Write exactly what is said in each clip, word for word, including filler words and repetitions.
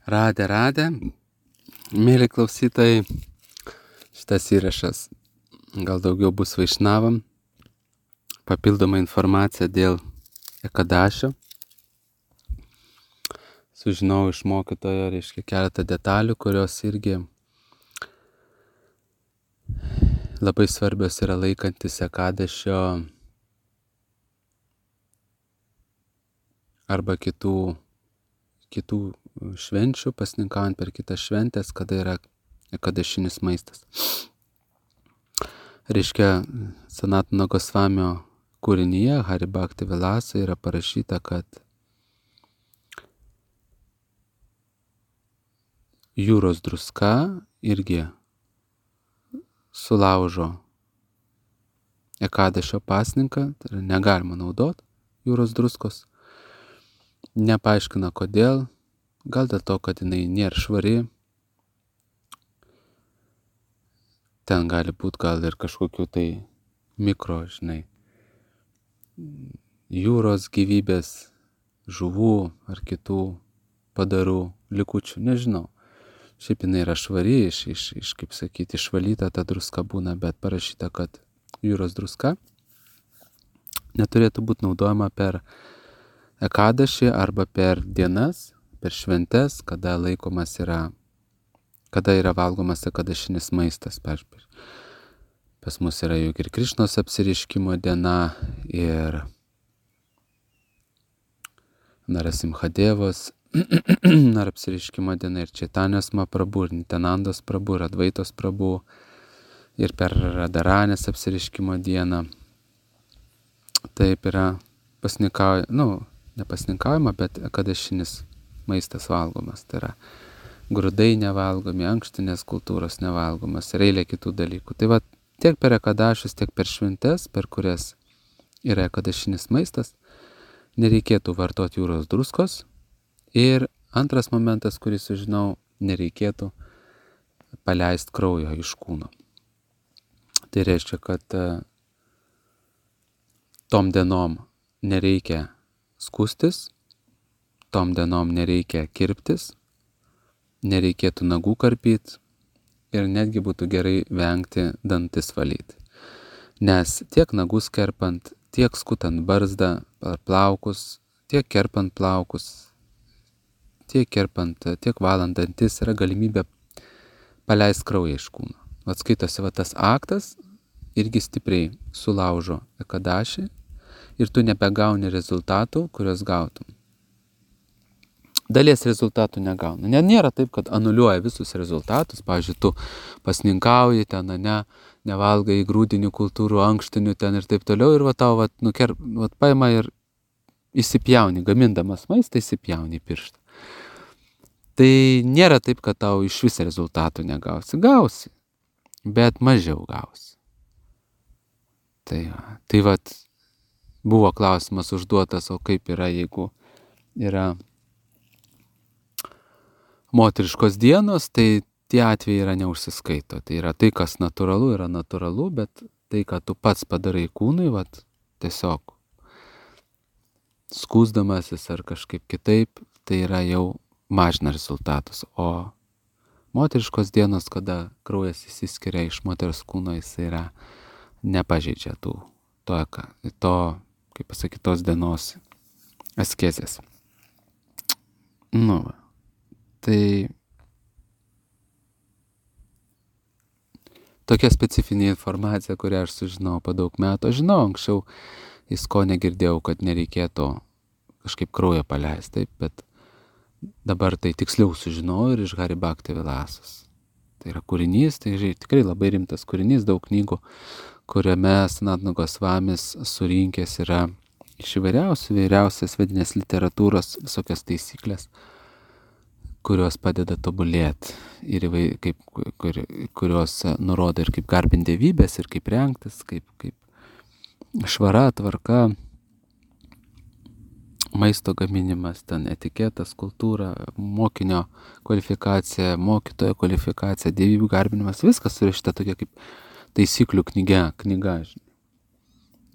Radę, radę. Mėly klausytojai, šitas įrašas gal daugiau bus vaišnavam. Papildoma informacija dėl Ekadašio. Sužinau iš mokytojo, reiškia, keletą detalių, kurios irgi labai svarbios yra laikantis Ekadašio arba kitų, kitų švenčių, pasninkaujant per kitas šventės, kada yra ekadašinis maistas. Reiškia, Sanatana Gosvamio kūrinyje Hari Bhakti Vilasa yra parašyta, kad jūros druska irgi sulaužo Ekadašio pasninką, tai yra negalima naudoti jūros druskos. Nepaaiškina kodėl, gal dėl to, kad jinai nėra švari. Ten gali būti gal ir kažkokių tai mikro, žinai, jūros gyvybės, žuvų ar kitų padarų likučių, nežinau. Šiaip jinai yra švari, iš, iš, iš kaip sakyti, išvalyta ta druska būna, bet parašyta, kad jūros druska neturėtų būti naudojama per Ekadašį arba per dienas, per šventes, kada laikomas yra, kada yra valgomas ekadašinis maistas. Pas mus yra juk ir Krišnos apsireiškimo diena, ir Narasimhadevos ar apsireiškimo diena, ir Čaitanijos Mahaprabhu, ir Nityanandos Prabhu, ir Advaitos Prabhu, ir per Radharanės apsireiškimo dieną. Taip yra pasninkaujama, nu, nepasninkaujama, bet ekadašinis maistas valgomas. Tai yra grūdai nevalgomi, ankštinės kultūros nevalgomas ir eilė kitų dalykų. Tai va, tiek per ekadašius, tiek per šventes, per kurias yra ekadašinis maistas, nereikėtų vartoti jūros druskos. Ir antras momentas, kurį sužinau, nereikėtų paleisti kraujo iš kūno. Tai reiškia, kad tom dienom nereikia skustis, tom dienom nereikia kirptis, nereikėtų nagų karpyti ir netgi būtų gerai vengti dantis valyti. Nes tiek nagus kerpant, tiek skutant barzdą ar plaukus, tiek kerpant plaukus, tiek kerpant, tiek valant dantis yra galimybė paleisti kraują iš kūno. Atskaitosi va tas aktas irgi stipriai sulaužo Ekadašį ir tu nebegauni rezultatų, kurios gautum. Dalies rezultatų negauna. Ne, nėra taip, kad anuliuoja visus rezultatus. Pavyzdžiui, tu pasninkauji ten, ne, nevalgai grūdinių kultūrų, ankštinių ten ir taip toliau. Ir va tau va, nuker, va, paima ir įsipjauni, gamindamas maistą, įsipjauni pirštą. Tai nėra taip, kad tau iš vis rezultatų negausi. Gausi, bet mažiau gausi. Tai, tai va, buvo klausimas užduotas, o kaip yra, jeigu yra moteriškos dienos, tai tie atvejai yra neužsiskaito. Tai yra tai, kas natūralu, yra natūralu, bet tai, ką tu pats padarai kūnui, vat, tiesiog skūsdamasis ar kažkaip kitaip, tai yra jau mažina rezultatus. O moteriškos dienos, kada kraujas įsiskiria iš moters kūno, jis yra nepažeidžia tų, to, to kaip pasakyti, tos dienos askezės. Nu, va. Tai tokia specifinė informacija, kurią aš sužinau po daug metų. Aš žinau, anksčiau Isko negirdėjau, kad nereikėtų kažkaip kraują paleisti, taip, bet dabar tai tiksliau sužinau ir iš Hari Bhakti Vilasos. Tai yra kūrinys, tai tikrai labai rimtas kūrinys, daug knygų, kuriame Sanatana Gosvamis surinkęs yra iš įvairiausių, įvairiausias vedinės literatūros visokias taisyklės, kurios padeda tobulėti ir kaip, kur, kurios nurodo ir kaip garbinti dievybės, ir kaip rengtis, kaip, kaip švara, tvarka, maisto gaminimas, ten etiketas, kultūra, mokinio kvalifikacija, mokytojo kvalifikacija, dievybių garbinimas, viskas surašyta tokia kaip taisyklių knyga, knyga, žinai.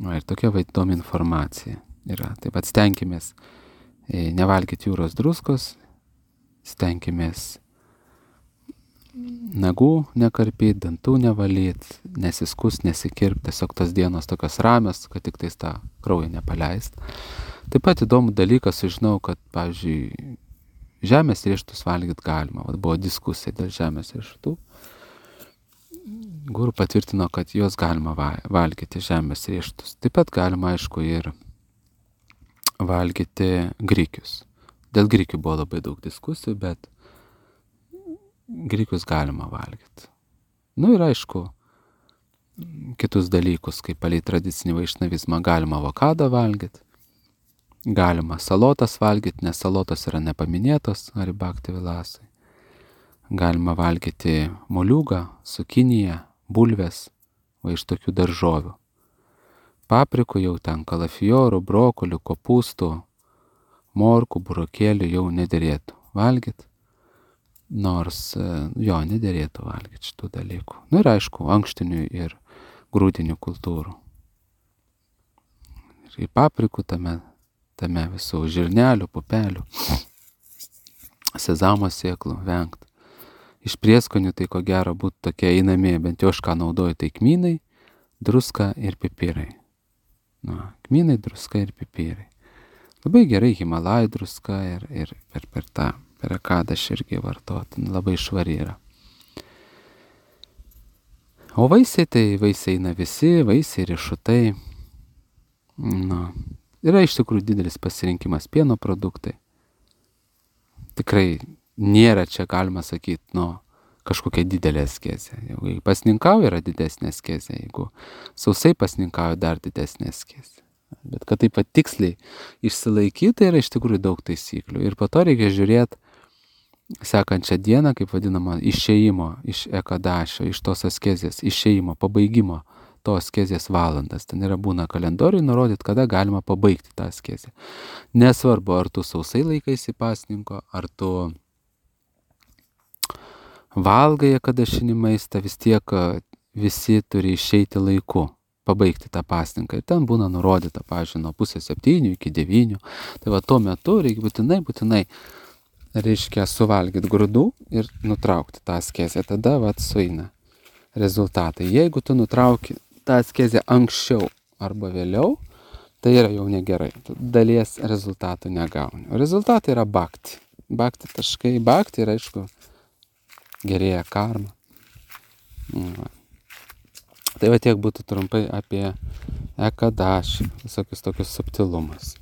Va, ir tokia va įdomi informacija yra. Taip pat stenkimės nevalgyti jūros druskos, stenkimės nagų nekarpyt, dantų nevalyt, nesiskust, nesikirpt, tiesiog tos dienos tokios ramios, kad tik tais tą kraują nepaleist. Taip pat įdomų dalyką sužinau, kad, pavyzdžiui, žemės riešutus valgyt galima. Vat buvo diskusija dėl žemės riešutų. Guru patvirtino, kad juos galima valgyti žemės riešutus. Taip pat galima, aišku, ir valgyti grikius. Dėl grikių buvo labai daug diskusijų, bet grikius galima valgyti. Nu ir aišku, kitus dalykus, kaip palei tradicinį vaišnavizmą, galima avokadą valgyti, galima salotas valgyti, nes salotos yra nepaminėtos Haribhakti Vilasai. Galima valgyti moliūgą, cukiniją, bulves, va iš tokių daržovių. Paprikų jau ten kalafiorų, brokolių, kopūstų, morkų, burokėlių jau nederėtų valgyti. Nors jo nederėtų valgyti šitų dalykų. Nu ir aišku, ankštinių ir grūdinių kultūrų. Ir paprikų tame, tame visų žirnelių, pupelių, sezamo sėklų vengt. Iš prieskonių tai ko gero būtų tokie einami, bent jau aš ką naudoju, tai kmynai, druska ir pipirai. Nu, kmynai, druska ir pipirai. Labai gerai Himalajų druska ir, ir per, per tą per akadą aš irgi vartot, labai švari yra. O vaisiai, tai vaisiai eina visi, vaisiai, riešutai. Nu, yra iš tikrųjų didelis pasirinkimas pieno produktai. Tikrai nėra čia, galima sakyti, nu, kažkokia didelė askezė. Jeigu pasninkauja, yra didesnė askezė. Jeigu sausai pasninkauja, dar didesnė askezė. Bet kad taip pat tiksliai išsilaikyti, tai yra iš tikrųjų daug taisyklių. Ir po to reikia žiūrėti sekančią dieną, kaip vadinama, išėjimo iš ekadašio, iš tos askezės, išėjimo, pabaigimo to askezės valandas. Ten yra būna kalendoriui nurodyti, kada galima pabaigti tą askezę. Nesvarbu, ar tu sausai laikaisi pasninko, ar tu valgai ekadašinį maistą, vis tiek visi turi išeiti laiku, pabaigti tą pasninką. Ir ten būna nurodyta, pavyzdžiui, nuo pusės septynių iki devynių. Tai va tuo metu reikia būtinai, būtinai reiškia suvalgyti grūdų ir nutraukti tą askezę. Tada vat sueina rezultatai. Jeigu tu nutrauki tą askezę anksčiau arba vėliau, tai yra jau negerai. Tu dalies rezultatų negauni. O rezultatai yra bhakti. Bhakti taškai. Bhakti yra, aišku, gerėja karma. Va. Tai va tiek būtų trumpai apie ekadašį, visokius tokius subtilumus.